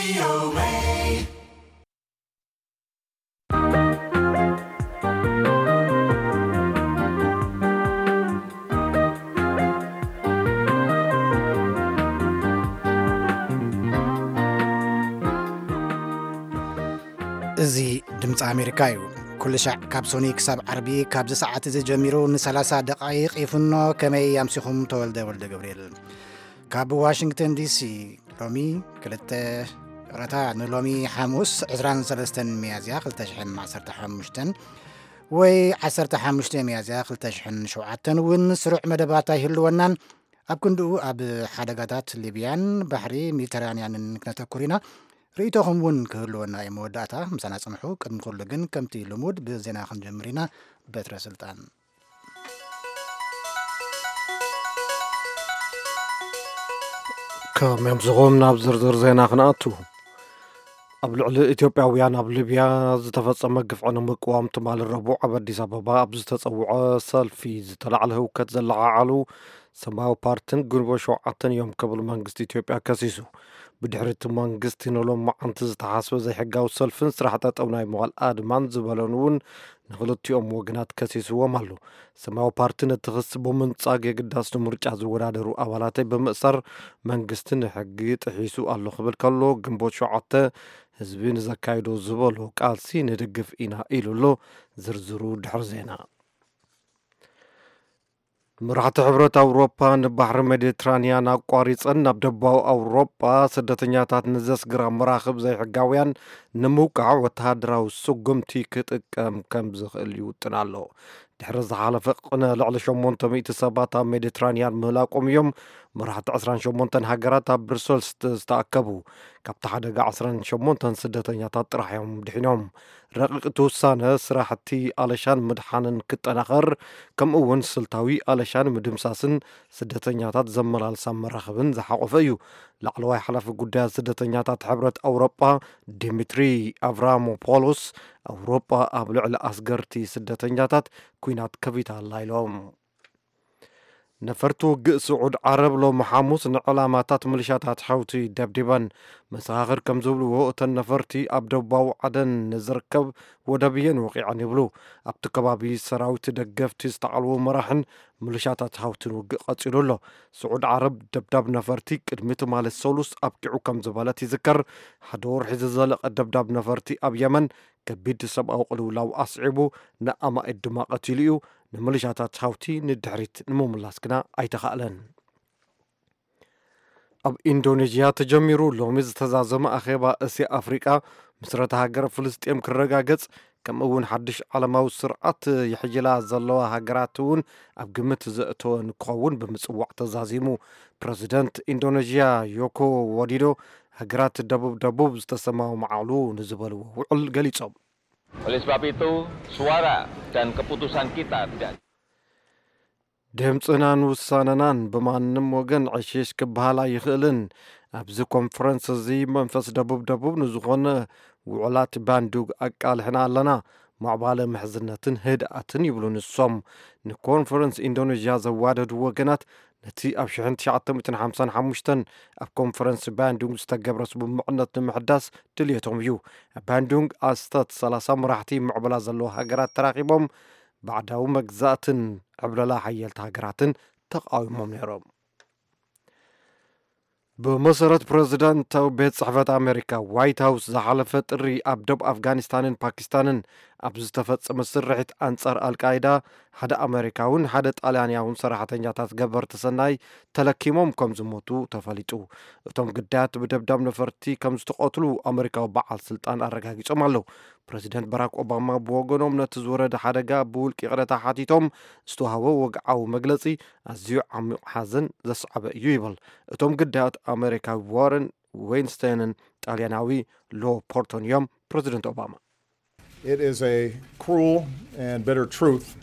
እዚ ድምፂ ኣሜሪካ እዩ። ኩሉ ሻዕ ካብ ሶኒ ክሳብ ዓርቢ ካብዚ ሰዓት እዚ ጀሚሩ ን30 ደቃይቕ ይፍኖ። ከመይ ኣምሲኹም? ተወልደ ወልደ ገብርኤል ካብ ዋሽንግተን ዲሲ። ሎሚ ክልተ፣ ይቕረታ፣ ንሎሚ ሓሙስ ዕስራን ሰለስተን ሚያዝያ ክልተ ሽሕን ዓሰርተ ሓሙሽተን ወይ ዓሰርተ ሓሙሽተ ሚያዝያ ክልተ ሽሕን ሸውዓተን እውን ስሩዕ መደባት ኣይህልወናን። ኣብ ክንድኡ ኣብ ሓደጋታት ሊብያን ባሕሪ ሜዲተራንያንን ክነተኩር ኢና። ርእይቶኹም እውን ክህልወና እዩ። መወዳእታ ምሳና ጽንሑ። ቅድሚ ኩሉ ግን ከምቲ ልሙድ ብዜና ክንጀምር ኢና። በትረ ስልጣን። ከመምስኹም ናብ ዝርዝር ዜና ክንኣቱ። ኣብ ልዕሊ ኢትዮጵያውያን ኣብ ሊብያ ዝተፈጸመ ግፍዒ ንምቅዋም ትማሊ ረቡዕ ኣብ ኣዲስ ኣበባ ኣብ ዝተጸውዐ ሰልፊ ዝተላዕለ ህውከት ዘለዓዓሉ ሰማያዊ ፓርትን ግንቦት ሸውዓተን እዮም ክብል መንግስቲ ኢትዮጵያ ከሲሱ። ብድሕሪ እቲ መንግስቲ ንሎም መዓንቲ ዝተሓስበ ዘይሕጋዊ ሰልፍን ስራሕ ጠጠው ናይ ምባል ኣድማን ዝበለን እውን ንክልቲኦም ወገናት ከሲስዎም ኣሎ። ሰማያዊ ፓርቲ ነቲ ክሲ ብምንጻግ የግዳስ ንምርጫ ዝወዳደሩ ኣባላተይ ብምእሳር መንግስቲ ንሕጊ ጥሒሱ ኣሎ ክብል ከሎ፣ ግንቦት ሸውዓተ ህዝቢ ንዘካይዶ ዝበሎ ቃልሲ ንድግፍ ኢና ኢሉ ኣሎ። ዝርዝሩ ድሕሪ ዜና። መራሕቲ ሕብረት ኣውሮፓ ንባሕሪ ሜዲትራንያን ኣቋሪጸን ናብ ደቡባዊ ኣውሮፓ ስደተኛታት ንዘስግራ መራኽብ ዘይሕጋውያን ንምውቃዕ ወተሃደራዊ ስጉምቲ ክጥቀም ከም ዝኽእል ይውጥን ኣሎ። ድሕሪ ዝሓለፈ ቅነ ልዕሊ ሸሞንተ ሚእቲ ሰባት ኣብ ሜዲትራንያን ምህላቆም እዮም መራሕቲ ዕስራን ሸሞንተን ሃገራት ኣብ ብሩሰልስ ዝተኣከቡ። ካብቲ ሓደጋ ዕስራን ሸሞንተን ስደተኛታት ጥራሕ እዮም ድሒኖም። ረቂቕ እቲ ውሳነ ስራሕቲ ኣለሻን ምድሓንን ክጠናኸር፣ ከምኡ እውን ስልታዊ ኣለሻን ምድምሳስን ስደተኛታት ዘመላልሳ መራኽብን ዝሓቖፈ እዩ። ላዕለዋይ ሓላፊ ጉዳያት ስደተኛታት ሕብረት ኣውሮጳ ዲሚትሪ ኣቭራሞፖሎስ፣ ኣውሮጳ ኣብ ልዕሊ ኣስገርቲ ስደተኛታት ኲናት ከፊታ ኣላ ኢሎም። ነፈርቲ ውግእ ስዑድ ዓረብ ሎሚ ሓሙስ ንዕላማታት ምልሻታት ሓውቲ ደብዲበን። መሰኻኽር ከም ዝብልዎ፣ እተን ነፈርቲ ኣብ ደቡባዊ ዓደን ንዝርከብ ወደብ እየን ወቒዐን ይብሉ። ኣብቲ ከባቢ ሰራዊት ደገፍቲ ዝተዓልዎ መራሕን ምልሻታት ሓውትን ውግእ ቀጺሉ ኣሎ። ስዑድ ዓረብ ደብዳብ ነፈርቲ ቅድሚ ትማሊ ሰሉስ ኣብቂዑ ከም ዝበለት ይዝከር። ሓደ ወርሒ ዝዘለቐ ደብዳብ ነፈርቲ ኣብ የመን ከቢድ ሰብኣዊ ቅልውላው ኣስዒቡ፣ ንኣማኢት ድማ ቀቲሉ እዩ። ንምልሻታት ሓውቲ ንድሕሪት ንምምላስ ግና ኣይተኻእለን። ኣብ ኢንዶኔዥያ ተጀሚሩ ሎሚ ዝተዛዘመ ኣኼባ እስያ ኣፍሪቃ ምስረታ ሃገር ፍልስጤም ክረጋገጽ፣ ከምኡ እውን ሓድሽ ዓለማዊ ስርዓት ይሕይላ ዘለዋ ሃገራት እውን ኣብ ግምት ዘእተወ ንክኸውን ብምጽዋዕ ተዛዚሙ። ፕረዚደንት ኢንዶኔዥያ ዮኮ ዎዲዶ፣ ሃገራት ደቡብ ደቡብ ዝተሰማምዓሉ ንዝበልዎ ውዕል ገሊጾም። Oleh sebab itu, suara dan keputusan kita tidak ድምፅናን ውሳነናን ብማንም ወገን ዕሽሽ ክበሃል ኣይኽእልን። ኣብዚ ኮንፈረንስ እዚ መንፈስ ደቡብ ደቡብ ንዝኾነ ውዕላት ባንዱግ ኣቃልሕና ኣለና። ማዕባለ ምሕዝነትን ህድኣትን ይብሉ ንሶም። ንኮንፈረንስ ኢንዶኔዥያ ዘዋደዱ ወገናት ነቲ ኣብ ሽሕን ትሽዓተ ሚእትን ሓምሳን ሓሙሽተን ኣብ ኮንፈረንስ ባንዱንግ ዝተገብረ ስምምዕነት ንምሕዳስ ድልየቶም እዩ። ኣብ ባንዱንግ ኣስተት ሰላሳ መራሕቲ ምዕብላ ዘለዋ ሃገራት ተራኺቦም፣ ባዕዳዊ መግዛእትን ዕብለላ ሓየልቲ ሃገራትን ተቓዊሞም ነይሮም። ብመሰረት ፕረዚደንታዊ ቤት ጽሕፈት ኣሜሪካ ዋይት ሃውስ ዝሓለፈ ጥሪ ኣብ ደቡብ ኣፍጋኒስታንን ፓኪስታንን ኣብ ዝተፈጸመ ስርሒት ኣንጻር ኣልቃይዳ ሓደ ኣሜሪካውን ሓደ ጣልያንያውን ሰራሕተኛታት ገበርቲ ሰናይ ተለኪሞም ከም ዝሞቱ ተፈሊጡ። እቶም ግዳያት ብደብዳብ ነፈርቲ ከም ዝተቐትሉ ኣሜሪካዊ በዓል ስልጣን ኣረጋጊጾም ኣለዉ። ፕረዚደንት ባራክ ኦባማ ብወገኖም ነቲ ዝወረደ ሓደጋ ብውልቂ ይቕረታ ሓቲቶም ዝተዋህቦ ወግዓዊ መግለጺ ኣዝዩ ዓሚቕ ሓዘን ዘስዓበ እዩ ይብል። እቶም ግዳያት ኣሜሪካዊ ዋረን ዌይንስታይንን ጣልያናዊ ሎ ፖርቶን እዮም። ፕረዚደንት ኦባማ It is a cruel and bitter truth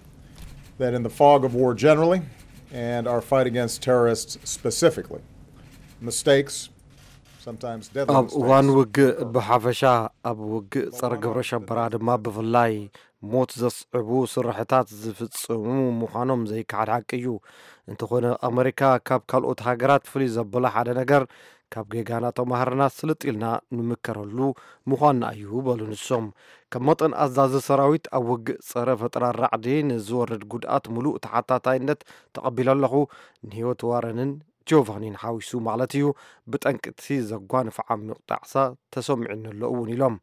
that in the fog of war generally and our fight against terrorists specifically, mistakes, sometimes deadly ኣብ እዋን mistakes, ውግእ ብሓፈሻ፣ ኣብ ውግእ ጸረ ግብረ ሸበራ ድማ ብፍላይ ሞት ዘስዕቡ ስርሕታት ዝፍጽሙ ምዃኖም ዘይከሓድ ሓቂ እዩ። እንተኾነ ኣመሪካ ካብ ካልኦት ሃገራት ፍልይ ዘብላ ሓደ ነገር ካብ ጌጋና ተማሃርና ስልጥ ኢልና ንምከረሉ ምዃንና እዩ በሉ ንሶም። ከም መጠን ኣዛዚ ሰራዊት ኣብ ውግእ ጸረ ፈጠራ ራዕዲ ንዝወርድ ጉድኣት ምሉእ ተሓታታይነት ተቐቢለ ኣለኹ። ንህይወት ዋረንን ጆቫኒን ሓዊሱ ማለት እዩ። ብጠንቅቲ ዘጓንፍ ዓሚቕ ጣዕሳ ተሰሚዑኒ ኣሎ እውን ኢሎም።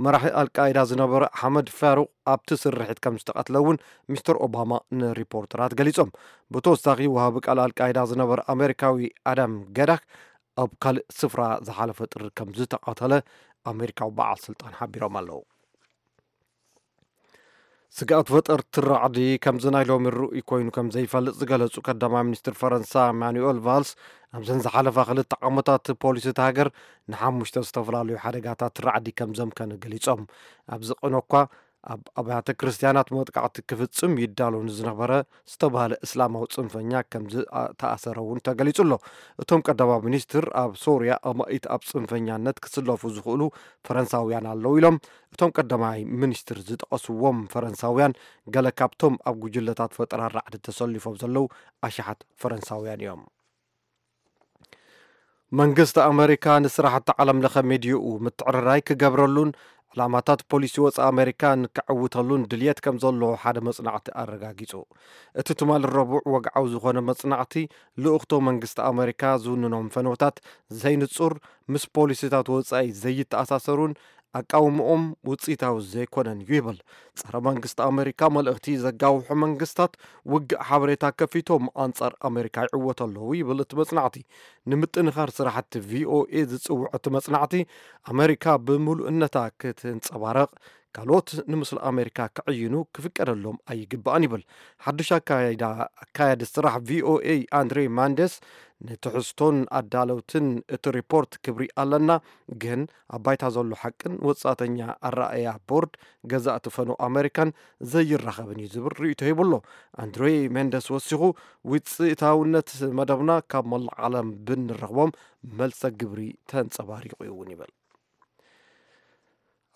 መራሒ ኣልቃይዳ ዝነበረ ኣሕመድ ፋሩቅ ኣብቲ ስርሒት ከም ዝተቐትለ እውን ሚስተር ኦባማ ንሪፖርተራት ገሊጾም። ብተወሳኺ ወሃቢ ቃል ኣልቃይዳ ዝነበረ ኣሜሪካዊ ኣዳም ገዳክ ኣብ ካልእ ስፍራ ዝሓለፈ ጥሪ ከም ዝተቐተለ ኣሜሪካዊ በዓል ስልጣን ሓቢሮም ኣለዉ። ስግኣት ፈጠርቲ ራዕዲ ከምዚ ናይ ሎሚ ርኡይ ኮይኑ ከም ዘይፈልጥ ዝገለጹ ቀዳማይ ሚኒስትር ፈረንሳ ማኑኤል ቫልስ፣ ኣብዘን ዝሓለፋ ክልተ ዓመታት ፖሊሲ እቲ ሃገር ንሓሙሽተ ዝተፈላለዩ ሓደጋታት ራዕዲ ከም ዘምከነ ገሊጾም። ኣብዚ ቅነ እኳ ኣብ ኣብያተ ክርስትያናት መጥቃዕቲ ክፍጽም ይዳሎ ንዝነበረ ዝተባህለ እስላማዊ ጽንፈኛ ከም ዝተኣሰረ እውን ተገሊጹ ኣሎ። እቶም ቀዳማይ ሚኒስትር ኣብ ሶርያ ኣማኢት ኣብ ጽንፈኛነት ክስለፉ ዝኽእሉ ፈረንሳውያን ኣለዉ ኢሎም። እቶም ቀዳማይ ሚኒስትር ዝጠቐስዎም ፈረንሳውያን ገለ ካብቶም ኣብ ጉጅለታት ፈጠራ ራዕዲ ተሰሊፎም ዘለዉ ኣሽሓት ፈረንሳውያን እዮም። መንግስቲ ኣመሪካ ንስራሕቲ ዓለም ለኸ ሚድይኡ ምትዕርራይ ክገብረሉን ዕላማታት ፖሊሲ ወፃኢ ኣመሪካ ንክዕውተሉን ድልየት ከም ዘለዎ ሓደ መፅናዕቲ ኣረጋጊፁ። እቲ ትማሊ ረቡዕ ወግዓዊ ዝኾነ መፅናዕቲ ልኡኽቶ መንግስቲ ኣመሪካ ዝውንኖም ፈነውታት ዘይንፁር፣ ምስ ፖሊሲታት ወፃኢ ዘይተኣሳሰሩን ኣቃውምኦም ውፅኢታዊ ዘይኮነን እዩ ይብል። ጸረ መንግስቲ ኣመሪካ መልእኽቲ ዘጋውሑ መንግስታት ውግእ ሓበሬታ ከፊቶም ኣንጻር ኣመሪካ ይዕወቱ ኣለዉ ይብል እቲ መጽናዕቲ። ንምጥንኻር ስራሕቲ ቪኦኤ ዝጽውዕ እቲ መጽናዕቲ፣ ኣመሪካ ብምሉእነታ ክትንጸባረቕ ካልኦት ንምስሊ ኣመሪካ ክዕይኑ ክፍቀደሎም ኣይግባእን ይብል። ሓድሽ ኣካያዲ ስራሕ ቪኦኤ ኣንድሬ ማንደስ ንትሕዝቶን ኣዳለውትን እቲ ሪፖርት ክብሪ ኣለና፣ ግን ኣብ ባይታ ዘሎ ሓቅን ወጻእተኛ ኣረኣእያ ቦርድ ገዛእቲ ፈነው ኣመሪካን ዘይራኸብን እዩ ዝብል ርእይቶ ሂቡ ኣሎ። ኣንድሬ ሜንደስ ወሲኹ፣ ውፅኢታውነት መደብና ካብ መላእ ዓለም ብንረኽቦም መልሰ ግብሪ ተንጸባሪቑ እውን ይብል።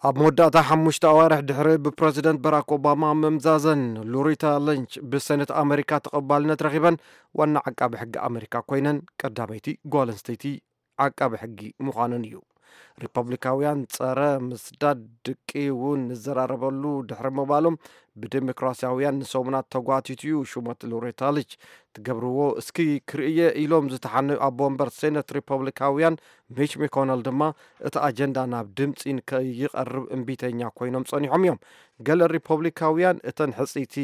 ኣብ መወዳእታ ሓሙሽተ ኣዋርሕ ድሕሪ ብፕረዚደንት በራክ ኦባማ ምምዛዘን፣ ሎሬታ ሊንች ብሰነት ኣመሪካ ተቐባልነት ረኺበን ዋና ዓቃቢ ሕጊ ኣመሪካ ኮይነን ቀዳመይቲ ጓል ኣንስተይቲ ዓቃቢ ሕጊ ምዃነን እዩ። ሪፐብሊካውያን ጸረ ምስዳድ ድቂ እውን ንዘራረበሉ ድሕሪ ምባሎም፣ ብዴሞክራሲያውያን ንሰሙናት ተጓቲቱ እዩ ሹመት ሎሬታ ሊንች። ትገብርዎ እስኪ ክርእየ ኢሎም ዝተሓነዩ ኣቦ ወንበር ሴነት ሪፐብሊካውያን ሚች ማኮነል ድማ እቲ ኣጀንዳ ናብ ድምፂ ንከይቐርብ እምቢተኛ ኮይኖም ጸኒሖም እዮም። ገለ ሪፐብሊካውያን እተን ሕፅይቲ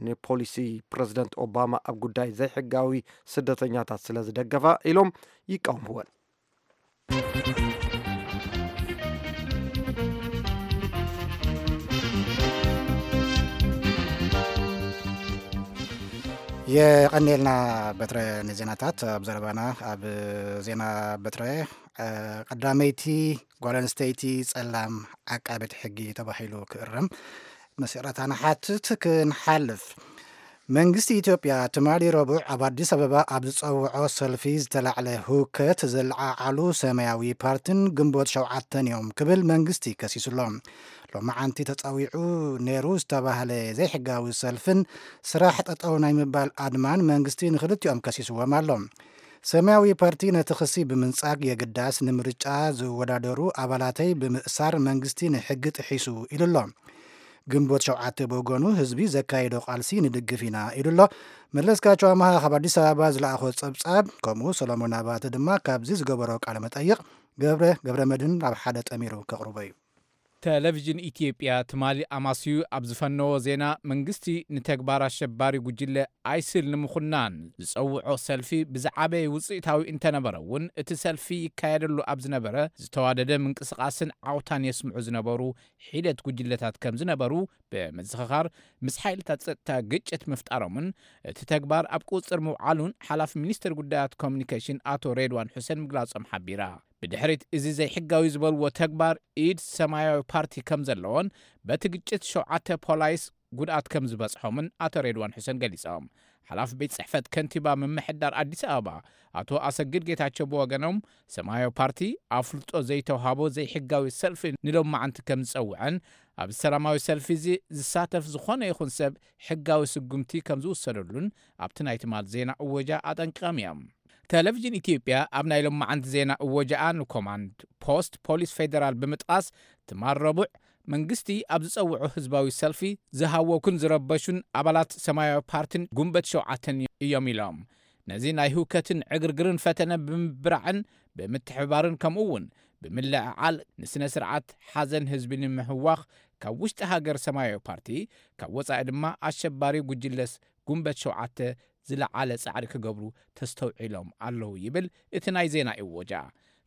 ንፖሊሲ ፕረዚደንት ኦባማ ኣብ ጉዳይ ዘይሕጋዊ ስደተኛታት ስለ ዝደገፋ ኢሎም ይቃወምወን። የቐኔልና በትረ ንዜናታት። ኣብ ዘረባና ኣብ ዜና በትረ፣ እ፣ ቀዳመይቲ ጓል ኣንስተይቲ ጸላም ዓቃቤት ሕጊ ተባሂሉ ክእረም መሰረታ ንሓትት ክንሓልፍ። መንግስቲ ኢትዮጵያ ትማሊ ረቡዕ ኣብ ኣዲስ ኣበባ ኣብ ዝጸውዖ ሰልፊ ዝተላዕለ ህውከት ዘለዓዓሉ ሰማያዊ ፓርትን ግንቦት ሸውዓተን እዮም ክብል መንግስቲ ከሲሱሎ። ሎማዓንቲ ተጸዊዑ ነይሩ ዝተባህለ ዘይሕጋዊ ሰልፍን ስራሕ ጠጠው ናይ ምባል ኣድማን መንግስቲ ንኽልቲኦም ከሲስዎም ኣሎ። ሰማያዊ ፓርቲ ነቲ ክሲ ብምንጻግ፣ የግዳስ ንምርጫ ዝወዳደሩ ኣባላተይ ብምእሳር መንግስቲ ንሕጊ ጥሒሱ ኢሉ ኣሎ። ግንቦት ሸውዓተ ብወገኑ ህዝቢ ዘካየዶ ቃልሲ ንድግፍ ኢና ኢሉ ኣሎ። መለስካቸው ኣምሃ ካብ ኣዲስ ኣበባ ዝለኣኾ ጸብጻብ፣ ከምኡ ሰሎሞን ኣባተ ድማ ካብዚ ዝገበሮ ቃለ መጠይቕ ገብረ ገብረ መድህን ኣብ ሓደ ጠሚሩ ከቕርቦ እዩ። ቴሌቪዥን ኢትዮጵያ ትማሊ ኣማስዩ ኣብ ዝፈነዎ ዜና፣ መንግስቲ ንተግባር ኣሸባሪ ጉጅለ ኣይስል ንምኹናን ዝጸውዖ ሰልፊ ብዝዓበየ ውጽኢታዊ እንተነበረ እውን፣ እቲ ሰልፊ ይካየደሉ ኣብ ዝነበረ ዝተዋደደ ምንቅስቓስን ዓውታን የስምዑ ዝነበሩ ሒደት ጉጅለታት ከም ዝነበሩ ብምዝኽኻር፣ ምስ ሓይልታት ጸጥታ ግጭት ምፍጣሮምን እቲ ተግባር ኣብ ቁጽጽር ምውዓሉን ሓላፊ ሚኒስትር ጉዳያት ኮሚኒኬሽን ኣቶ ሬድዋን ሑሴን ምግላጾም ሓቢራ። ብድሕሪት እዚ ዘይሕጋዊ ዝበልዎ ተግባር ኢድ ሰማያዊ ፓርቲ ከም ዘለዎን በቲ ግጭት ሸውዓተ ፖላይስ ጉድኣት ከም ዝበጽሖምን ኣቶ ሬድዋን ሑሴን ገሊጾም። ሓላፊ ቤት ጽሕፈት ከንቲባ ምምሕዳር ኣዲስ ኣበባ ኣቶ ኣሰግድ ጌታቸው ብወገኖም፣ ሰማያዊ ፓርቲ ኣፍልጦ ዘይተውሃቦ ዘይሕጋዊ ሰልፊ ንሎማዓንቲ ከም ዝጸውዐን፣ ኣብዚ ሰላማዊ ሰልፊ እዚ ዝሳተፍ ዝኾነ ይኹን ሰብ ሕጋዊ ስጉምቲ ከም ዝውሰደሉን ኣብቲ ናይ ትማል ዜና እወጃ ኣጠንቂቖም እዮም። ቴሌቪዥን ኢትዮጵያ ኣብ ናይ ሎማዓንቲ ዜና እወጃኣ ንኮማንድ ፖስት ፖሊስ ፌዴራል ብምጥቓስ፣ ትማል ረቡዕ መንግስቲ ኣብ ዝጸውዖ ህዝባዊ ሰልፊ ዝሃወኩን ዝረበሹን ኣባላት ሰማያዊ ፓርቲን ጉንበት ሸውዓተን እዮም ኢሎም። ነዚ ናይ ህውከትን ዕግርግርን ፈተነ ብምብራዕን ብምትሕብባርን፣ ከምኡ እውን ብምልዕዓል ንስነ ስርዓት ሓዘን ህዝቢ ንምሕዋኽ፣ ካብ ውሽጢ ሃገር ሰማያዊ ፓርቲ፣ ካብ ወጻኢ ድማ ኣሸባሪ ጉጅለስ ጉንበት ሸውዓተ ዝለዓለ ጻዕሪ ክገብሩ ተስተውዒሎም ኣለዉ ይብል እቲ ናይ ዜና እወጃ።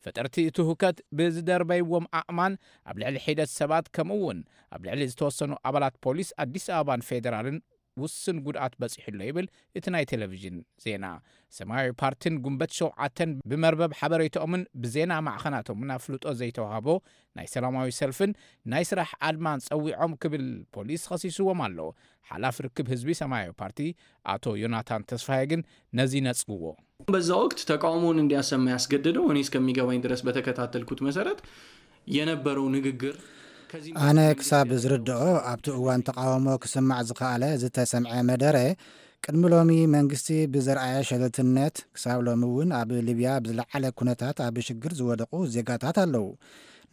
ፈጠርቲ እቲ ሁከት ብዝደርበይዎም ኣእማን ኣብ ልዕሊ ሒደት ሰባት፣ ከምኡ እውን ኣብ ልዕሊ ዝተወሰኑ ኣባላት ፖሊስ ኣዲስ ኣበባን ፌዴራልን ውስን ጉድኣት በጺሑ ኣሎ ይብል እቲ ናይ ቴሌቪዥን ዜና። ሰማያዊ ፓርቲን ጉንበት ሸውዓተን ብመርበብ ሓበሬታኦምን ብዜና ማዕኸናቶምን ኣፍልጦ ዘይተዋህቦ ናይ ሰላማዊ ሰልፍን ናይ ስራሕ ኣድማን ጸዊዖም ክብል ፖሊስ ኸሲስዎም ኣሎ። ሓላፊ ርክብ ህዝቢ ሰማያዊ ፓርቲ ኣቶ ዮናታን ተስፋዬ ግን ነዚ ነጽግዎ። በዛ ወቅት ተቃውሞውን እንዲያሰማ ያስገደደው፣ እኔ እስከሚገባኝ ድረስ በተከታተልኩት መሰረት የነበረው ንግግር ከዚህ ኣነ ክሳብ ዝርድኦ፣ ኣብቲ እዋን ተቃውሞ ክስማዕ ዝኸኣለ ዝተሰምዐ መደረ፣ ቅድሚ ሎሚ መንግስቲ ብዘርኣየ ሸለልትነት፣ ክሳብ ሎሚ እውን ኣብ ሊብያ ብዝለዓለ ኩነታት ኣብ ሽግር ዝወደቑ ዜጋታት ኣለዉ።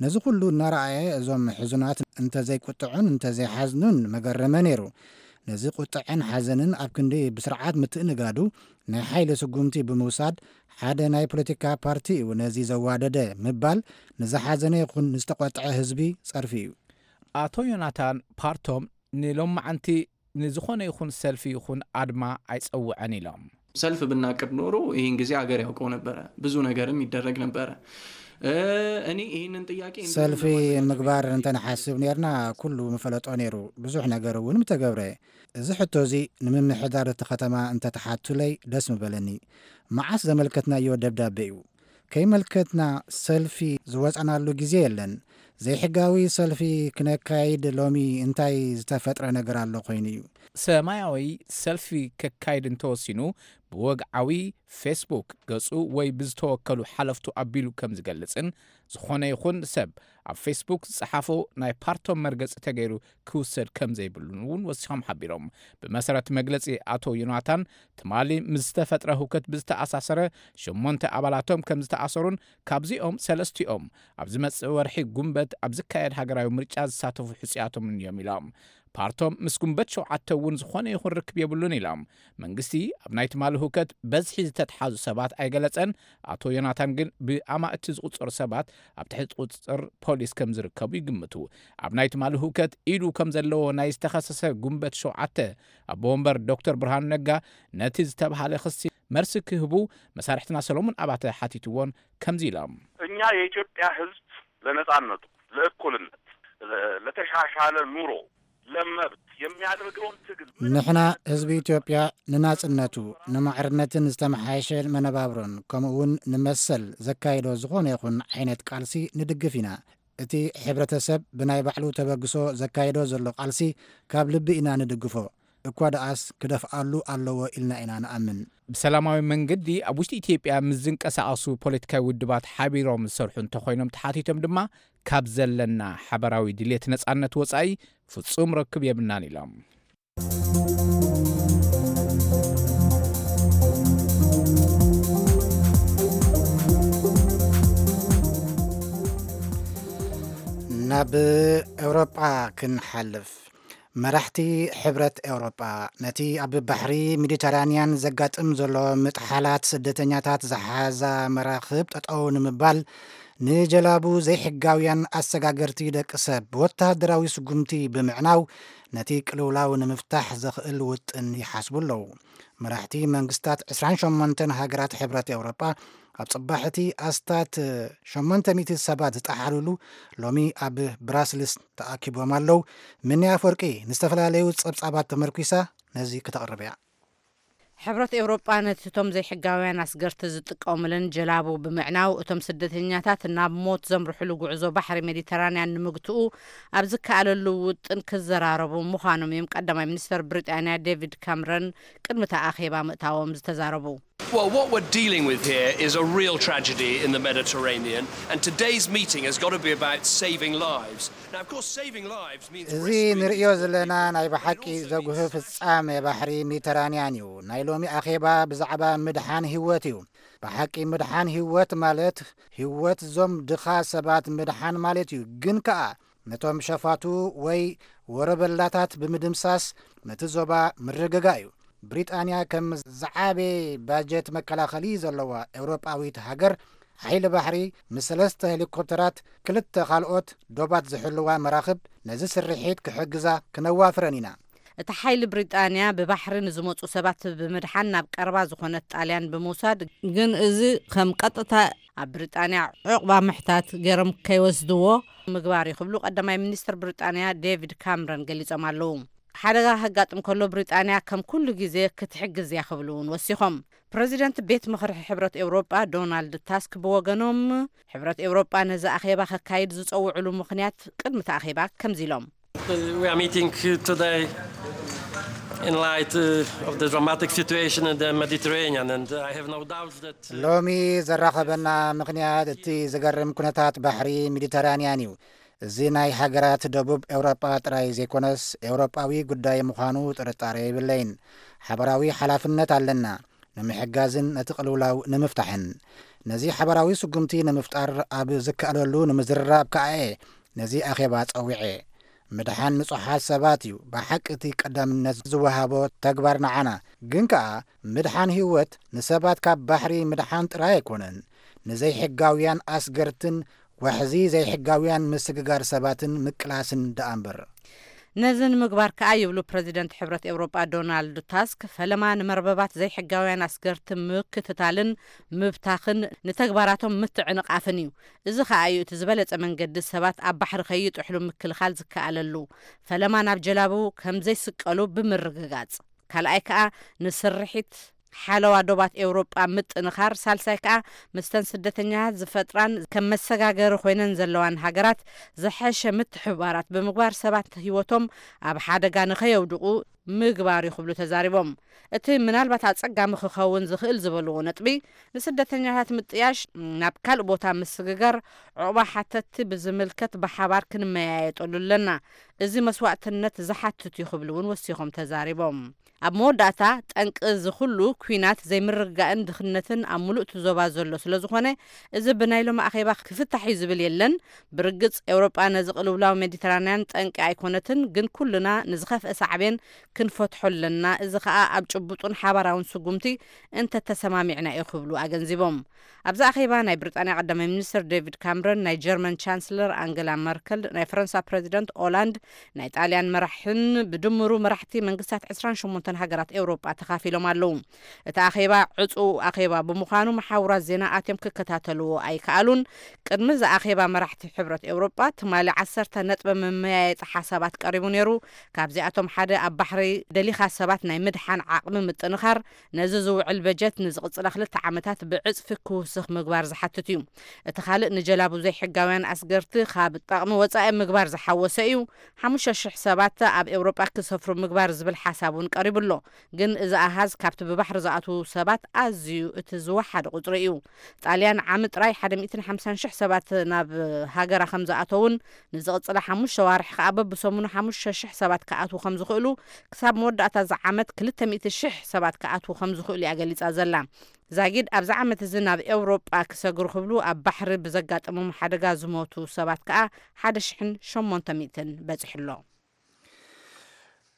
ነዚ ኩሉ እናረኣየ፣ እዞም ሕዙናት እንተዘይቁጥዑን እንተዘይሓዝኑን መገረመ ነይሩ። ነዚ ቁጥዐን ሓዘንን ኣብ ክንዲ ብስርዓት ምትእንጋዱ፣ ናይ ሓይሊ ስጉምቲ ብምውሳድ፣ ሓደ ናይ ፖለቲካ ፓርቲ እዩ ነዚ ዘዋደደ ምባል፣ ንዝሓዘነ ይኹን ንዝተቆጥዐ ህዝቢ ጸርፊ እዩ። ኣቶ ዮናታን ፓርቶም ንሎማዓንቲ ንዝኾነ ይኹን ሰልፊ ይኹን ኣድማ ኣይጸውዐን ኢሎም። ሰልፍ ብናቅድ ኖሮ ይህን ጊዜ ሀገር ያውቀው ነበረ፣ ብዙ ነገርም ይደረግ ነበረ። እኔ ይህንን ጥያቄ ሰልፊ ምግባር እንተንሓስብ ነርና፣ ኩሉ ምፈለጦ ነይሩ፣ ብዙሕ ነገር እውን ምተገብረ። እዚ ሕቶ እዚ ንምምሕዳር እቲ ከተማ እንተተሓቱለይ ደስ ምበለኒ። መዓስ ዘመልከትናዮ ደብዳቤ እዩ? ከይመልከትና ሰልፊ ዝወፃናሉ ግዜ የለን። ዘይሕጋዊ ሰልፊ ክነካይድ ሎሚ እንታይ ዝተፈጥረ ነገር ኣሎ ኮይኑ እዩ? ሰማያዊ ሰልፊ ከካይድ እንተወሲኑ፣ ብወግዓዊ ፌስቡክ ገጹ ወይ ብዝተወከሉ ሓለፍቱ ኣቢሉ ከም ዝገልጽን፣ ዝኾነ ይኹን ሰብ ኣብ ፌስቡክ ዝጸሓፎ ናይ ፓርቶም መርገጺ ተገይሩ ክውሰድ ከም ዘይብሉን እውን ወሲኾም ሓቢሮም። ብመሰረት መግለጺ ኣቶ ዮናታን፣ ትማሊ ምስ ዝተፈጥረ ህውከት ብዝተኣሳሰረ፣ ሸሞንተ ኣባላቶም ከም ዝተኣሰሩን፣ ካብዚኦም ሰለስቲኦም ኣብ ዝመጽእ ወርሒ ጉንበት ኣብ ዝካየድ ሃገራዊ ምርጫ ዝሳተፉ ሕጹያቶም እዮም ኢሎም። ፓርቶም ምስ ጉንበት ሸውዓተ እውን ዝኾነ ይኹን ርክብ የብሉን ኢሎም። መንግስቲ ኣብ ናይ ትማሊ ህውከት በዝሒ ዝተትሓዙ ሰባት ኣይገለጸን። ኣቶ ዮናታን ግን ብኣማእቲ ዝቑጸሩ ሰባት ኣብ ትሕቲ ቁጽጽር ፖሊስ ከም ዝርከቡ ይግምቱ። ኣብ ናይ ትማሊ ህውከት ኢዱ ከም ዘለዎ ናይ ዝተኸሰሰ ጉንበት ሸውዓተ ኣቦ ወንበር ዶክተር ብርሃኑ ነጋ፣ ነቲ ዝተብሃለ ክሲ መርሲ ክህቡ መሳርሕትና ሰሎሞን ኣባተ ሓቲትዎን ከምዚ ኢሎም። እኛ የኢትዮጵያ ህዝብ ለነጻነቱ፣ ለእኩልነት፣ ለተሻሻለ ኑሮ፣ ለመብት የሚያደርገውን ትግል ንሕና ህዝቢ ኢትዮጵያ ንናጽነቱ፣ ንማዕርነትን ዝተመሓየሸ መነባብሮን፣ ከምኡ እውን ንመሰል ዘካይዶ ዝኾነ ይኹን ዓይነት ቃልሲ ንድግፍ ኢና። እቲ ሕብረተሰብ ብናይ ባዕሉ ተበግሶ ዘካይዶ ዘሎ ቃልሲ ካብ ልቢ ኢና ንድግፎ። እኳ ደኣስ ክደፍኣሉ ኣለዎ ኢልና ኢና ንኣምን። ብሰላማዊ መንገዲ ኣብ ውሽጢ ኢትዮጵያ ምስ ዝንቀሳቐሱ ፖለቲካዊ ውድባት ሓቢሮም ዝሰርሑ እንተኾይኖም ተሓቲቶም ድማ፣ ካብ ዘለና ሓበራዊ ድሌት ነጻነት ወጻኢ ፍጹም ርክብ የብልናን ኢሎም። ናብ ኤውሮጳ ክንሓልፍ። መራሕቲ ሕብረት ኤውሮጳ ነቲ ኣብ ባሕሪ ሜዲተራንያን ዘጋጥም ዘሎ ምጥሓላት ስደተኛታት ዝሓዛ መራኽብ ጠጠው ንምባል፣ ንጀላቡ ዘይሕጋውያን ኣሰጋገርቲ ደቂ ሰብ ብወተሃደራዊ ስጉምቲ ብምዕናው ነቲ ቅልውላው ንምፍታሕ ዘኽእል ውጥን ይሓስቡ ኣለዉ። መራሕቲ መንግስታት ዕስራን ሸሞንተን ሃገራት ሕብረት ኤውሮጳ ኣብ ጽባሕ እቲ ኣስታት ሸሞንተ ሚእቲ ሰባት ዝጠሓሉሉ ሎሚ ኣብ ብራስልስ ተኣኪቦም ኣለዉ። ምኒ ኣፈወርቂ ንዝተፈላለዩ ጸብጻባት ተመርኲሳ ነዚ ክተቕርብ እያ። ሕብረት ኤውሮጳ ነቲ እቶም ዘይሕጋውያን ኣስገርቲ ዝጥቀሙለን ጀላቡ ብምዕናው እቶም ስደተኛታት ናብ ሞት ዘምርሕሉ ጉዕዞ ባሕሪ ሜዲተራንያን ንምግትኡ ኣብ ዝከኣለሉ ውጥን ክዘራረቡ ምዃኖም እዮም ቀዳማይ ሚኒስተር ብሪጣንያ ዴቪድ ካምረን ቅድሚ እቲ ኣኼባ ምእታዎም ዝተዛረቡ። Well, what we're dealing with here is a real tragedy in the Mediterranean, and today's meeting has got to be about saving lives. Now, of course, saving lives means እዚ rescuing ንርእዮ ዘለና ናይ ብሓቂ ዘጉህ ፍጻሜ ባሕሪ ሜዲተራንያን እዩ። ናይ ሎሚ ኣኼባ ብዛዕባ ምድሓን ህይወት እዩ። ብሓቂ ምድሓን ህይወት ማለት ህይወት ዞም ድኻ ሰባት ምድሓን ማለት እዩ። ግን ከኣ ነቶም ሸፋቱ ወይ ወረበላታት ብምድምሳስ ነቲ ዞባ ምርግጋ እዩ። ብሪጣንያ ከም ዝዓበየ ባጀት መከላኸሊ ዘለዋ ኤውሮጳዊት ሃገር ሓይሊ ባሕሪ ምስ ሰለስተ ሄሊኮፕተራት ክልተ ካልኦት ዶባት ዝሕልዋ መራኽብ ነዚ ስርሒት ክሕግዛ ክነዋፍረን ኢና። እቲ ሓይሊ ብሪጣንያ ብባሕሪ ንዝመጹ ሰባት ብምድሓን ናብ ቀረባ ዝኾነት ጣልያን ብምውሳድ፣ ግን እዚ ከም ቀጥታ ኣብ ብሪጣንያ ዕቑባ ምሕታት ገይሮም ከይወስድዎ ምግባር እዩ ክብሉ ቀዳማይ ሚኒስትር ብሪጣንያ ዴቪድ ካምረን ገሊጾም ኣለዉ። ሓደጋ ከጋጥም ከሎ ብሪጣንያ ከም ኩሉ ግዜ ክትሕግዝ እያ ክብሉ እውን ወሲኾም። ፕረዚደንት ቤት ምኽሪ ሕብረት ኤውሮጳ ዶናልድ ታስክ ብወገኖም፣ ሕብረት ኤውሮጳ ነዚ ኣኼባ ከካይድ ዝጸውዕሉ ምኽንያት ቅድሚ እቲ ኣኼባ ከምዚ ኢሎም። We are meeting today in light uh, of the dramatic situation in the Mediterranean, and I have no doubts that. ሎሚ ዘራኸበና ምኽንያት እቲ ዝገርም ኩነታት ባሕሪ ሜዲተራንያን እዩ። እዚ ናይ ሃገራት ደቡብ ኤውሮጳ ጥራይ ዘይኮነስ ኤውሮጳዊ ጉዳይ ምዃኑ ጥርጣረ የብለይን። ሓበራዊ ሓላፍነት ኣለና ንምሕጋዝን ነቲ ቅልውላው ንምፍታሕን። ነዚ ሓበራዊ ስጉምቲ ንምፍጣር ኣብ ዝከኣለሉ ንምዝርራብ ከኣ እየ ነዚ ኣኼባ ጸዊዐ። ምድሓን ንጹሓት ሰባት እዩ ብሓቂ እቲ ቀዳምነት ዝወሃቦ ተግባር ንዓና። ግን ከኣ ምድሓን ህይወት ንሰባት ካብ ባሕሪ ምድሓን ጥራይ ኣይኮነን፣ ንዘይሕጋውያን ኣስገርትን ዋሕዚ ዘይሕጋውያን ምስግጋር ሰባትን ምቅላስን ደኣ እምበር። ነዚ ንምግባር ከኣ ይብሉ ፕረዚደንት ሕብረት ኤውሮጳ ዶናልድ ታስክ፣ ፈለማ ንመርበባት ዘይሕጋውያን ኣስገርቲ ምክትታልን ምብታኽን ንተግባራቶም ምትዕንቓፍን እዩ። እዚ ከኣ እዩ እቲ ዝበለጸ መንገዲ ሰባት ኣብ ባሕሪ ከይጥሕሉ ምክልኻል ዝከኣለሉ፣ ፈለማ ናብ ጀላቡ ከም ዘይስቀሉ ብምርግጋጽ። ካልኣይ ከኣ ንስርሒት ሓለዋ ዶባት ኤውሮጳ ምጥንኻር፣ ሳልሳይ ከኣ ምስተን ስደተኛታት ዝፈጥራን ከም መሰጋገሪ ኮይነን ዘለዋን ሃገራት ዝሐሸ ምትሕብባራት ብምግባር ሰባት ህይወቶም ኣብ ሓደጋ ንኸየውድቑ ምግባር እዩ ክብሉ ተዛሪቦም። እቲ ምናልባት ኣጸጋሚ ክኸውን ዝኽእል ዝበልዎ ነጥቢ፣ ንስደተኛታት ምጥያሽ ናብ ካልእ ቦታ ምስግጋር፣ ዑቕባ ሓተትቲ ብዝምልከት ብሓባር ክንመያየጠሉ ኣለና። እዚ መስዋእትነት ዝሓትት እዩ ክብሉ እውን ወሲኾም ተዛሪቦም። ኣብ መወዳእታ፣ ጠንቂ እዚ ኩሉ ኲናት ዘይምርግጋእን ድኽነትን ኣብ ምሉእ እቲ ዞባ ዘሎ ስለ ዝኾነ፣ እዚ ብናይ ሎሚ ኣኼባ ክፍታሕ እዩ ዝብል የለን። ብርግጽ፣ ኤውሮጳ ነዚ ቅልውላው ሜዲተራንያን ጠንቂ ኣይኮነትን፣ ግን ኩልና ንዝኸፍአ ሳዕቤን ክንፈትሖ ኣለና። እዚ ኸኣ ኣብ ጭቡጡን ሓባራውን ስጉምቲ እንተተሰማሚዕና እዩ ክብሉ ኣገንዚቦም። ኣብዚ ኣኼባ ናይ ብሪጣንያ ቀዳማይ ሚኒስትር ዴቪድ ካምረን፣ ናይ ጀርመን ቻንስለር ኣንገላ መርከል፣ ናይ ፈረንሳ ፕረዚደንት ኦላንድ፣ ናይ ጣልያን መራሕን ብድምሩ መራሕቲ መንግስታት ዕስራን ሸሞንተን ሃገራት ኤውሮጳ ተኻፊሎም ኣለዉ። እቲ ኣኼባ ዕጹው ኣኼባ ብምዃኑ መሓውራት ዜና ኣትዮም ክከታተልዎ ኣይከኣሉን። ቅድሚ እዚ ኣኼባ መራሕቲ ሕብረት ኤውሮጳ ትማሊ ዓሰርተ ነጥቢ መመያየጢ ሓሳባት ቀሪቡ ነይሩ። ካብዚኣቶም ሓደ ኣብ ባሕሪ ደሊኻ ሰባት ናይ ምድሓን ዓቕሚ ምጥንኻር፣ ነዚ ዝውዕል በጀት ንዝቕጽላ ክልተ ዓመታት ብዕጽፊ ክውስኽ ምግባር ዝሓትት እዩ። እቲ ካልእ ንጀላቡ ዘይሕጋውያን ኣስገርቲ ካብ ጠቕሚ ወጻኢ ምግባር ዝሓወሰ እዩ። ሓሙሽተ ሽሕ ሰባት ኣብ ኤውሮጳ ክሰፍሩ ምግባር ዝብል ሓሳብ እውን ቀሪቡ ኣሎ። ግን እዚ ኣሃዝ ካብቲ ብባሕሪ ዝኣትዉ ሰባት ኣዝዩ እቲ ዝወሓደ ቁጽሪ እዩ። ጣልያን ዓሚ ጥራይ ሓደ ሚእትን ሓምሳን ሽሕ ሰባት ናብ ሃገራ ከም ዝኣተዉን ንዝቕጽላ ሓሙሽተ ዋርሕ ከኣ በብሰሙኑ ሓሙሽተ ሽሕ ሰባት ክኣትዉ ከም ዝኽእሉ፣ ክሳብ መወዳእታ እዚ ዓመት ክልተ ሚእቲ ሽሕ ሰባት ክኣትዉ ከም ዝኽእሉ እያ ገሊጻ ዘላ። ዛጊድ ኣብዚ ዓመት እዚ ናብ ኤውሮጳ ክሰግሩ ክብሉ ኣብ ባሕሪ ብዘጋጠሞም ሓደጋ ዝሞቱ ሰባት ከኣ ሓደ ሽሕን ሸሞንተ ሚእትን በጺሑ ኣሎ።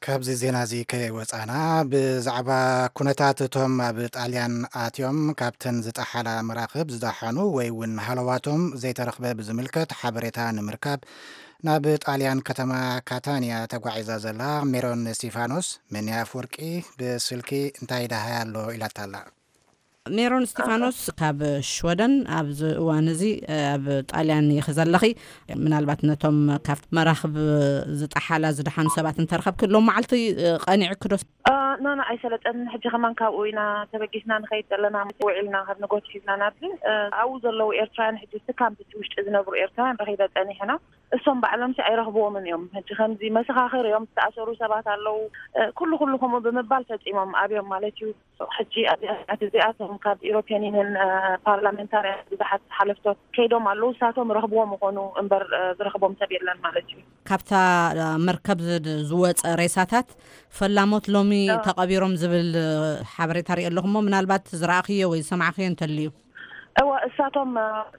ካብዚ ዜና እዚ ከይወጻና፣ ብዛዕባ ኩነታት እቶም ኣብ ጣልያን ኣትዮም ካብተን ዝጠሓላ መራኽብ ዝደሓኑ ወይ እውን ሃለዋቶም ዘይተረኽበ ብዝምልከት ሓበሬታ ንምርካብ ናብ ጣልያን ከተማ ካታንያ ተጓዒዛ ዘላ ሜሮን እስቲፋኖስ፣ መን ኣፍወርቂ ብስልኪ እንታይ ደሃይ ኣሎ ኢላታ ኣላ። ሜሮን እስቲፋኖስ ካብ ሽወደን፣ ኣብዚ እዋን እዚ ኣብ ጣልያን ኢኺ ዘለኺ። ምናልባት ነቶም ካብ መራኽብ ዝጠሓላ ዝደሓኑ ሰባት እንተረኸብኪ፣ ሎም መዓልቲ ቀኒዕኪ ዶ? ኖ ኖ፣ ኣይሰለጠንን። ሕጂ ከማን ካብኡ ኢና ተበጊስና ንኸይድ ዘለና። ውዒልና ካብ ንጎት ሒዝና ናብዚ ኣብኡ ዘለዉ ኤርትራውያን፣ ሕጂ እቲ ካምፕ እቲ ውሽጢ ዝነብሩ ኤርትራውያን ረኺበ ጸኒሐና። እሶም ባዕሎም ሲ ኣይረኽብዎምን እዮም። ሕጂ ከምዚ መሰኻኽር እዮም፣ ዝተኣሰሩ ሰባት ኣለዉ። ኩሉ ኩሉ ከምኡ ብምባል ፈጺሞም ኣብዮም ማለት እዩ። ሕጂ ኣብዚኣ ሰዓት እዚኣ እቶም ካብ ኢሮፕያን ዩኒየን ፓርላሜንታርያን ብዙሓት ሓለፍቶት ከይዶም ኣለዉ። ንሳቶም ረኽብዎም ይኾኑ እምበር ዝረኽቦም ሰብ የለን ማለት እዩ። ካብታ መርከብ ዝድ- ዝወፀ ሬሳታት ፈላሞት ሎሚ ተቐቢሮም ዝብል ሓበሬታ ርኢ ኣለኹ። እሞ ምናልባት ዝረኣኽዮ ወይ ዝሰማዕኽዮ እንተልዩ? እዋ፣ እሳቶም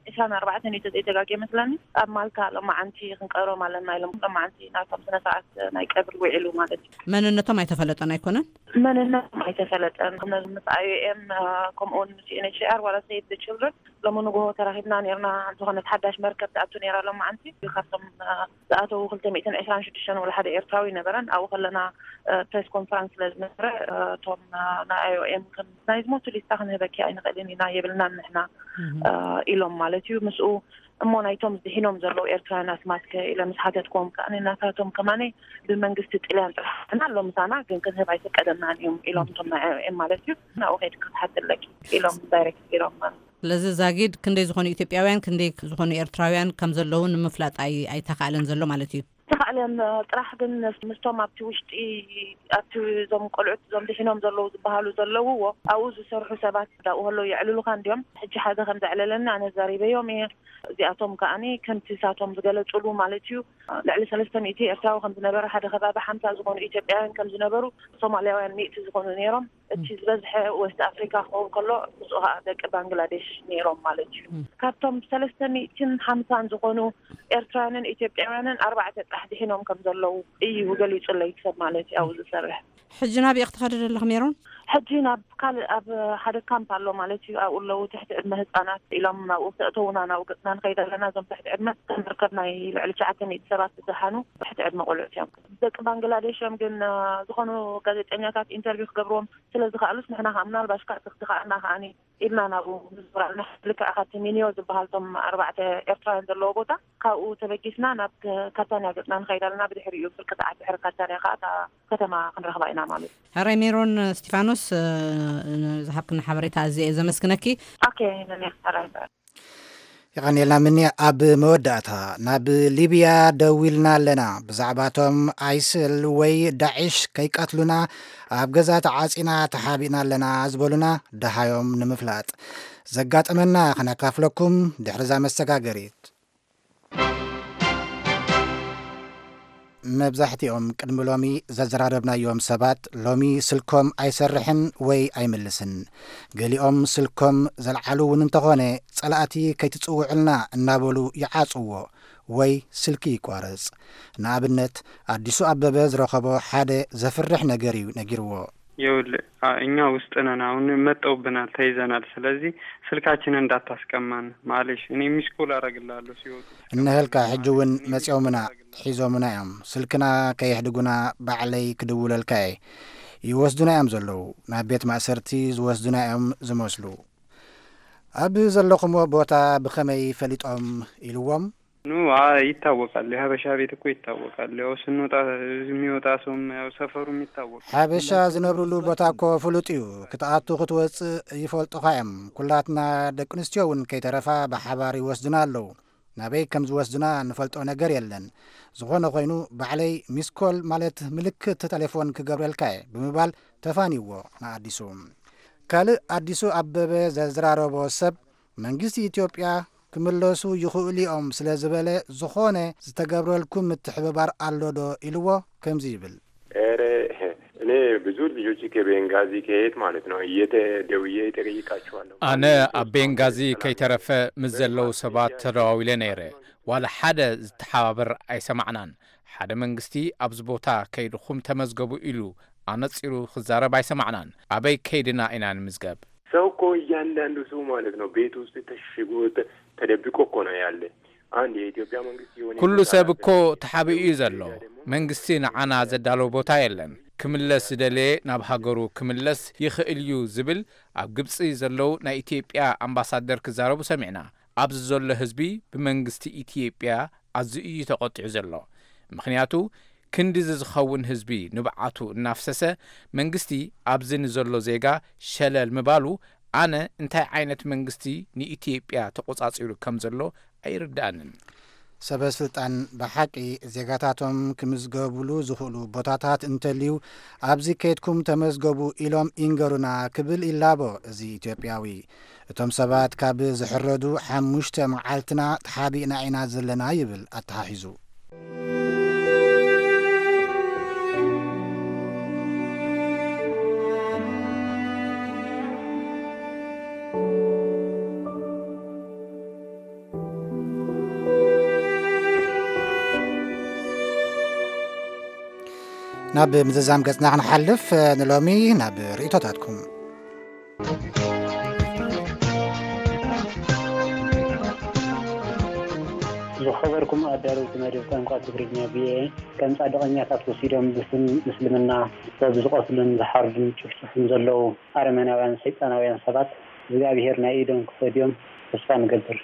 ዒስራን ኣርባዕተን እዩ ተዘይተጋጌ መስለኒ። ኣብ ማልታ ሎማዓንቲ ክንቀብሮም ኣለና ኢሎም፣ ሎማዓንቲ ናቶም ስነ ስርዓት ናይ ቀብሪ ውዒሉ ማለት እዩ። መንነቶም ኣይተፈለጠን ኣይኮነን? መንነቶም ኣይተፈለጠን። ነዚ ምስ ኣይ ኦ ኤም ከምኡውን ምስ ዩ ኤን ኤች ሲ ኣር ዋላ ሴቭ ዘ ችልድረን ሎሚ ንግሆ ተራኺብና ነርና። ዝኾነት ሓዳሽ መርከብ ትኣቱ ነራ ሎማዓንቲ። ካብቶም ዝኣተዉ ክልተ ሚእትን ዕስራን ሽዱሽተን ወላ ሓደ ኤርትራዊ ነበረን። ኣብኡ ከለና ፕሬስ ኮንፈረንስ ስለ ዝነበረ፣ እቶም ናይ ኣይ ኦ ኤም ከም ናይ ዝሞቱ ሊስታ ክንህበኪ ኣይንኽእልን ኢና፣ የብልናን ንሕና ኢሎም ማለት እዩ። ምስኡ እሞ ናይቶም ዝድሒኖም ዘለዉ ኤርትራውያን ኣስማት ከ ኢለ ምስ ሓተትክዎም ከኣ፣ ናታቶም ከማነ ብመንግስቲ ጥልያን ጥራሕ ኣለና ኣሎ ምሳና፣ ግን ክንህብ ኣይፈቀደናን እዮም ኢሎም፣ እቶም ናይ ኣይ ኦ ኤም ማለት እዩ። ናብኡ ከይድካ ክትሓቲ ኣለኪ ኢሎም ዳይሬክት ኢሎም ማለት። ስለዚ ዛጊድ ክንደይ ዝኾኑ ኢትዮጵያውያን ክንደይ ዝኾኑ ኤርትራውያን ከም ዘለዉ ንምፍላጥ ኣይ ኣይተኻእለን ዘሎ ማለት እዩ። ተኻእለን ጥራሕ ግን ምስቶም ኣብቲ ውሽጢ ኣብቲ እዞም ቆልዑት እዞም ድሒኖም ዘለዉ ዝበሃሉ ዘለውዎ ኣብኡ ዝሰርሑ ሰባት ዳኡ ከለዉ የዕልሉኻ እንዲዮም። ሕጂ ሓደ ከም ዘዕለለኒ ኣነ ዛሪበዮም እየ። እዚኣቶም ከኣኒ ከምቲ ሳቶም ዝገለጹሉ ማለት እዩ፣ ልዕሊ ሰለስተ ሚእቲ ኤርትራዊ ከም ዝነበረ፣ ሓደ ከባቢ ሓምሳ ዝኾኑ ኢትዮጵያውያን ከም ዝነበሩ፣ ሶማልያውያን ሚእቲ ዝኾኑ ነይሮም። እቲ ዝበዝሐ ዌስት ኣፍሪካ ክኸውን ከሎ፣ ምስኡ ከዓ ደቂ ባንግላዴሽ ነይሮም ማለት እዩ። ካብቶም ሰለስተ ሚእትን ሓምሳን ዝኾኑ ኤርትራውያንን ኢትዮጵያውያንን ኣርባዕተ ጥራሕ ድሒኖም ከም ዘለዉ እዩ ገሊጹለይ ሰብ ማለት እዩ ኣብኡ ዝሰርሕ። ሕጂ ናብ ኢኽ ትኸዲ ዘለኽ ሜሮን? ሕጂ ናብ ካልእ ኣብ ሓደ ካምፕ ኣሎ ማለት እዩ። ኣብኡ ኣለዉ ትሕቲ ዕድመ ህፃናት ኢሎም ናብኡ ተእተውና ናብኡ ገፅና ንኸይድ ኣለና። እዞም ትሕቲ ዕድመ መርከብ ናይ ልዕሊ ትሽዓተ ሚእቲ ሰባት ዝደሓኑ ትሕቲ ዕድመ ቆልዑት እዮም። ደቂ ባንግላዴሽ እዮም ግን ዝኾኑ ጋዜጠኛታት ኢንተርቪው ክገብርዎም ስለ ዝኸኣሉስ ንሕና ከዓ ምናልባሽ ከዓ ትኽትኻኣና ከዓኒ ኢልና ናብኡ ንዝብራልና ልክዕ ካብቲ ሚኒዮ ዝበሃል ቶም ኣርባዕተ ኤርትራውያን ዘለዎ ቦታ ካብኡ ተበጊስና ናብ ካታንያ ገፅና ንኸይድ ኣለና። ብድሕሪኡ ፍርቂ ሰዓት ድሕሪ ካታንያ ከዓ እታ ከተማ ክንረኽባ ኢና ማለት እዩ። ሕራይ ሜሮን እስቲፋኖስ፣ ዝሃብክና ሓበሬታ ኣዝየ እየ ዘመስግነኪ። ኦኬ፣ ነኒ ሕራይ። የቐንየልና ምኒ። ኣብ መወዳእታ ናብ ሊብያ ደዊልና ኣለና። ብዛዕባቶም ኣይስል ወይ ዳዒሽ ከይቀትሉና ኣብ ገዛ ተዓጺና ተሓቢእና ኣለና ዝበሉና ደሃዮም ንምፍላጥ ዘጋጠመና ከነካፍለኩም ድሕሪ እዛ መሰጋገሪት። መብዛሕትኦም ቅድሚ ሎሚ ዘዘራረብናዮም ሰባት ሎሚ ስልኮም ኣይሰርሕን ወይ ኣይምልስን። ገሊኦም ስልኮም ዘልዓሉ እውን እንተኾነ ጸላእቲ ከይትጽውዕልና እናበሉ ይዓጽዎ ወይ ስልኪ ይቋረጽ። ንኣብነት ኣዲሱ ኣበበ ዝረኸቦ ሓደ ዘፍርሕ ነገር እዩ ነጊርዎ። ይኸውልህ፣ አ- እኛ ውስጥ ነን፣ አሁን መጠውብናል፣ ተይዘናል። ስለዚህ ስልካችንን እንዳታስቀማን ማለሽ። እኔ ሚስኮል አረግልሃለሁ ሲወጡ። እነሀልካ ሕጂ እውን መጺኦምና ሒዞምና እዮም። ስልክና ከየሕድጉና ባዕለይ ክድውለልካ እየ። ይወስዱና እዮም ዘለዉ። ናብ ቤት ማእሰርቲ ዝወስዱና እዮም ዝመስሉ። ኣብ ዘለኹምዎ ቦታ ብኸመይ ፈሊጦም ኢልዎም? ኑ አ- ይታወቃል፣ የሀበሻ ቤት እኮ ይታወቃል። ያው ስንወጣ የሚወጣ ሰውም ያው ሰፈሩም ይታወቃል። ሓበሻ ዝነብርሉ ቦታ እኮ ፍሉጥ እዩ። ክትኣቱ ክትወፅእ ይፈልጡኻ እዮም። ኩላትና ደቂ ኣንስትዮ እውን ከይተረፋ ብሓባር ይወስዱና ኣለዉ። ናበይ ከም ዝወስዱና ንፈልጦ ነገር የለን። ዝኾነ ኮይኑ ባዕለይ ሚስኮል ማለት ምልክት ተሌፎን ክገብረልካ እየ ብምባል ተፋንይዎ ንኣዲሱ። ካልእ ኣዲሱ ኣበበ ዘዝራረቦ ሰብ መንግስቲ ኢትዮጵያ ክምለሱ ይኽእሉ እዮም ስለ ዝበለ ዝኾነ ዝተገብረልኩም ምትሕብባር ኣሎ ዶ ኢልዎ ከምዚ ይብል። ኧረ እኔ ብዙ ልጆች ከቤንጋዚ ከየት ማለት ነው እየተ ደውዬ ይጠይቃቸዋለሁ። ኣነ ኣብ ቤንጋዚ ከይተረፈ ምስ ዘለዉ ሰባት ተደዋዊለ ነይረ። ዋላ ሓደ ዝተሓባበር ኣይሰማዕናን። ሓደ መንግስቲ ኣብዚ ቦታ ከይድኹም ተመዝገቡ ኢሉ ኣነጺሩ ክዛረብ ኣይሰማዕናን። ኣበይ ከይድና ኢና ንምዝገብ? ሰው እኮ እያንዳንዱ ሰው ማለት ነው ቤት ውስጥ ተሽጎ ተ- ተደብቆ እኮ ነው ያለ። አንድ የኢትዮጵያ መንግስት የሆነ ኩሉ ቦታ ሰብ ላይ እኮ ተሓቢኡ እዩ ዘሎ። መንግስቲ ንዓና ዘዳለዎ ቦታ የለን። ክምለስ ዝደለየ ናብ ሃገሩ ክምለስ ይኽእል እዩ ዝብል ኣብ ግብጺ ዘለዉ ናይ ኢትዮጵያ ኣምባሳደር ክዛረቡ ሰሚዕና። ኣብዚ ዘሎ ህዝቢ ብመንግስቲ ኢትዮጵያ ኣዝዩ እዩ ተቖጢዑ ዘሎ። ምኽንያቱ ክንድዚ ዝኸውን ህዝቢ ንብዓቱ እናፍሰሰ መንግስቲ ኣብዚ ንዘሎ ዜጋ ሸለል ምባሉ ኣነ እንታይ ዓይነት መንግስቲ ንኢትዮጵያ ተቖጻጺሩ ከም ዘሎ ኣይርድኣንን። ሰበ ስልጣን ብሓቂ ዜጋታቶም ክምዝገብሉ ዝኽእሉ ቦታታት እንተልዩ ኣብዚ ከይድኩም ተመዝገቡ ኢሎም ይንገሩና ክብል ይላቦ እዚ ኢትዮጵያዊ። እቶም ሰባት ካብ ዝሕረዱ ሓሙሽተ መዓልትና ተሓቢእና ኢና ዘለና ይብል ኣተሓሒዙ። ናብ ምዝዛም ገጽና ክንሓልፍ፣ ንሎሚ ናብ ርእይቶታትኩም። ዝኸበርኩም ኣዳለውቲ መደብ ቋንቋ ትግርኛ ቪኦኤ፣ ከም ጻድቐኛታት ወሲዶም ብስም ምስልምና ሰብ ዝቐትሉን ዝሓርዱን ጭፍጭፉን ዘለዉ ኣረመናውያን ሰይጣናውያን ሰባት እግዚኣብሄር ናይ ኢዶም ክፈድዮም ተስፋ ንገብር።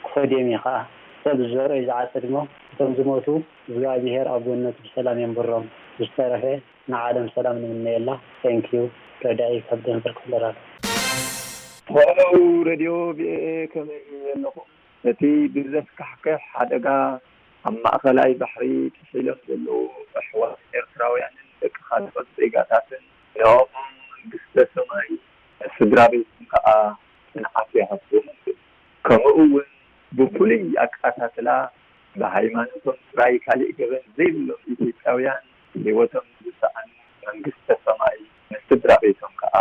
ክፈድዮም እዩ ኸኣ። ሰብ ዝዘርኦ እዩ ዝዓጽድ እሞ፣ እቶም ዝሞቱ እግዚኣብሄር ኣብ ገነቱ ብሰላም የንብሮም። ዝተረፈ ንዓለም ሰላም ንምነየላ። Thank you። ረዳኢ ካብ ደንቨር ክፍለ ራዲዮ። ሄሎ ሬድዮ ቪኦኤ፣ ከመይ ኣለኹም? ነቲ ብዘስካሕክሕ ሓደጋ ኣብ ማእኸላይ ባሕሪ ጥሒሎም ዘለዉ ኣሕዋት ኤርትራውያንን ደቂ ካልኦት ዜጋታትን ንዕኦም መንግስተ ሰማይ ንስድራ ቤቶም ከኣ ጽንዓት ይሃብኩም። ከምኡ እውን ብፍሉይ ኣቃታትላ ብሃይማኖቶም ጥራይ ካሊእ ገበን ዘይብሎም ኢትዮጵያውያን ህይወቶም ዝሰኣኑ መንግስተ ሰማይ ንስድራ ቤቶም ከኣ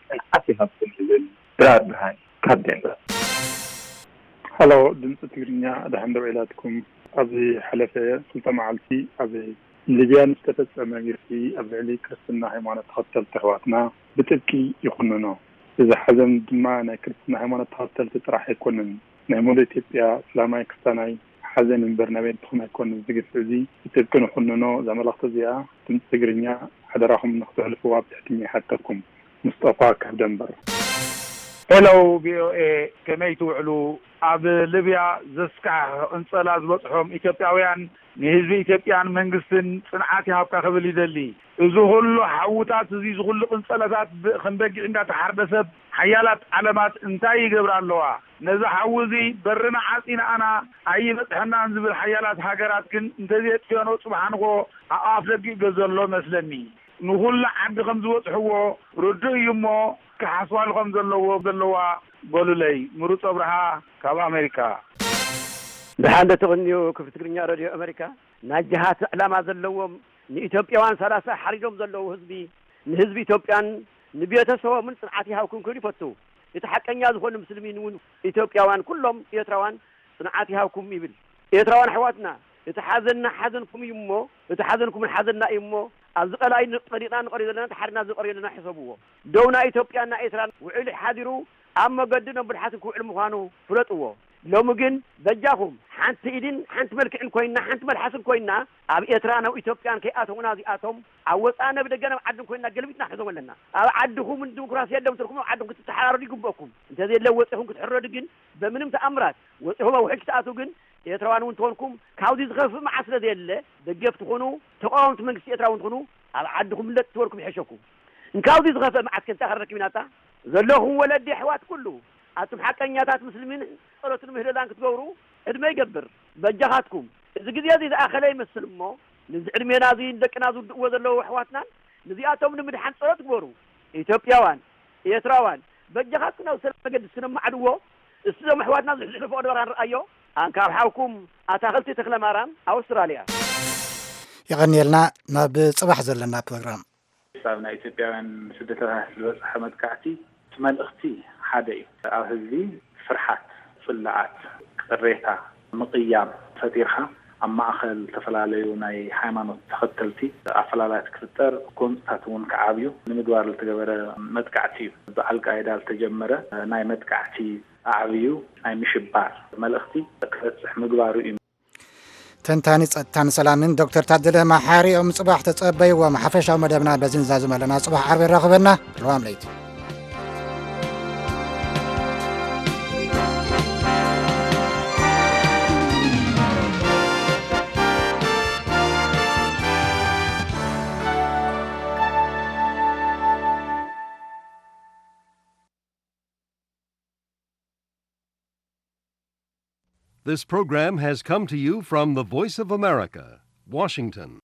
ጽንዓት ይሃብኩም ይብል ብርሃን ካብ ዴንቨር። ሄሎ ድምፂ ትግርኛ፣ ደሓን ደው ኢላትኩም? ኣብዚ ሓለፈ ክልተ መዓልቲ ኣብ ሊብያ ንዝተፈጸመ ግፍዒ ኣብ ልዕሊ ክርስትና ሃይማኖት ተኸተልቲ ኣሕዋትና ብጥብቂ ይኹንኖ። እዚ ሓዘን ድማ ናይ ክርስትና ሃይማኖት ተኸተልቲ ጥራሕ ኣይኮነን። ናይ ሙሉእ ኢትዮጵያ እስላማይ ክርስታናይ ሓዘን እምበር ናይ በይንትኹም ኣይኮነን። እዚ ግፍዒ እዚ ብጥብቂ ንኹንኖ። እዛ መልእኽቲ እዚኣ ድምፂ ትግርኛ ሓደራኹም ንኽተሕልፍዋ ብትሕትና ይሓተኩም። ሙስጠፋ ካብ ደንበር። ሄሎ ቪኦኤ፣ ከመይ ትውዕሉ? ኣብ ሊብያ ዘስካሕኽሕ ቅንጸላ ዝበጽሖም ኢትዮጵያውያን ንህዝቢ ኢትዮጵያን መንግስትን ጽንዓት ይሃብካ ክብል ይደሊ። እዚ ኩሉ ሓውታት፣ እዚ፣ እዚ ኩሉ ቅንጸላታት ብ-፣ ከም በጊዕ እንዳተሓርደ ሰብ ሓያላት ዓለማት እንታይ ይገብራ ኣለዋ? ነዚ ሓዊ እዚ በርና ዓጺና ኣና ኣይበጽሐናን ዝብል ሓያላት ሃገራት ግን እንተዘየጥፍኦኖ ጽባሕ ንግሆ ኣብ ኣፍ ደጊኡ ገ ዘሎ መስለኒ። ንኹሉ ዓዲ ከም ዝበጽሕዎ ርዱእ እዩ እሞ፣ ክሓስባሉ ከም ዘለዎ፣ ዘለዋ በሉለይ። ምሩጽ ኣብርሃ ካብ ኣሜሪካ። ደሓን ዶ ትቕንዩ ክፍሊ ትግርኛ ሬድዮ ኣሜሪካ? ናይ ጅሃት ዕላማ ዘለዎም ንኢትዮጵያውያን ሰላሳ ሓሪዶም ዘለዉ ህዝቢ፣ ንህዝቢ ኢትዮጵያን ንቤተሰቦምን ጽንዓት ይሃብኩም ክብል ይፈቱ። እቲ ሓቀኛ ዝኾነ ምስልሚን እውን ኢትዮጵያውያን ኩሎም ኤርትራውያን ጽንዓት ይሃብኩም ይብል። ኤርትራውያን ኣሕዋትና፣ እቲ ሓዘንና ሓዘንኩም እዩ እሞ፣ እቲ ሓዘንኩምን ሓዘንና እዩ እሞ፣ ኣብዚ ቀላይ ንቐሪቕና ንቐሪ ዘለና፣ ተሓሪድና ዝቐሪ ዘለና ሕሰብዎ። ደው ናይ ኢትዮጵያን ናይ ኤርትራን ውዕል ሓዲሩ ኣብ መገዲ ነብልሓትን ክውዕል ምዃኑ ፍለጥዎ። ሎሚ ግን በጃኹም ሓንቲ ኢድን ሓንቲ መልክዕን ኮይንና፣ ሓንቲ መልሓስን ኮይንና ኣብ ኤርትራን ኣብ ኢትዮጵያን ከይኣተውና እዚኣቶም ኣብ ወጻኢ ነብ ደገ ናብ ዓድን ኮይንና ገልቢጥና ሕዞም ኣለና። ኣብ ዓድኹም ዲሞክራሲ የለም ትልኩም ኣብ ዓድኹም ክትተሓራረዱ ይግበእኩም። እንተዘየለ ወጺኹም ክትሕረዱ ግን በምንም ተኣምራት ወጺኹም ኣብ ውሕጅ ክትኣትዉ ግን ኤርትራውያን እውን ትኾንኩም ካብዚ ዝኸፍእ መዓት ስለ ዘየለ ደገፍ ትኾኑ ተቃወምቲ መንግስቲ ኤርትራ እውን ትኾኑ ኣብ ዓድኹም ምለጥ ትበልኩም ይሕሸኩም። እንካብዚ ዝኸፍእ መዓት ከ እንታይ ከረክብ ኢናታ? ዘለኹም ወለዲ ኣሕዋት ኩሉ ኣቱም ሓቀኛታት ምስልሚን ጸሎትን ምህለላን ክትገብሩ ዕድመ ይገብር። በጃኻትኩም እዚ ግዜ እዚ ዝኣኸለ ይመስል እሞ ንዚ ዕድሜና እዚ ንደቅና ዝውድእዎ ዘለዉ ኣሕዋትናን ንዚኣቶም ንምድሓን ጸሎት ግበሩ። ኢትዮጵያውያን፣ ኤርትራውያን በጃኻትኩም ናብ ሰላም መገዲ እስክነማዕድዎ እስቲ ዞም ኣሕዋትና ዝሕልፎ ድበራ ንርኣዮ። ኣንካብ ሓውኩም ኣታኽልቲ ተኽለ ማርያም ኣውስትራልያ። የቐንየልና። ናብ ጽባሕ ዘለና ፕሮግራም። ኣብ ናይ ኢትዮጵያውያን ስደተታት ዝበፅሐ መጥቃዕቲ እቲ መልእኽቲ ሓደ እዩ። ኣብ ህዝቢ ፍርሓት፣ ፅልኣት፣ ቅሬታ፣ ምቕያም ፈጢርካ ኣብ ማእኸል ዝተፈላለዩ ናይ ሃይማኖት ተኸተልቲ ኣፈላላያት ክፍጠር፣ ጎንፅታት እውን ክዓብዩ ንምግባር ዝተገበረ መጥቃዕቲ እዩ። ብኣልቃይዳ ዝተጀመረ ናይ መጥቃዕቲ ኣዕብዩ ናይ ምሽባር መልእኽቲ ክበፅሕ ምግባሩ እዩ። ተንታኒ ጸጥታን ሰላምን ዶክተር ታደለ መሓሪ እዮም። ጽባሕ ተጸበይዎም። ሓፈሻዊ መደብና በዚ ንዛዝም ኣለና። ጽባሕ ዓርቢ የራኽበና። ርዋም ለይቲ። This program has come to you from the Voice of America, Washington.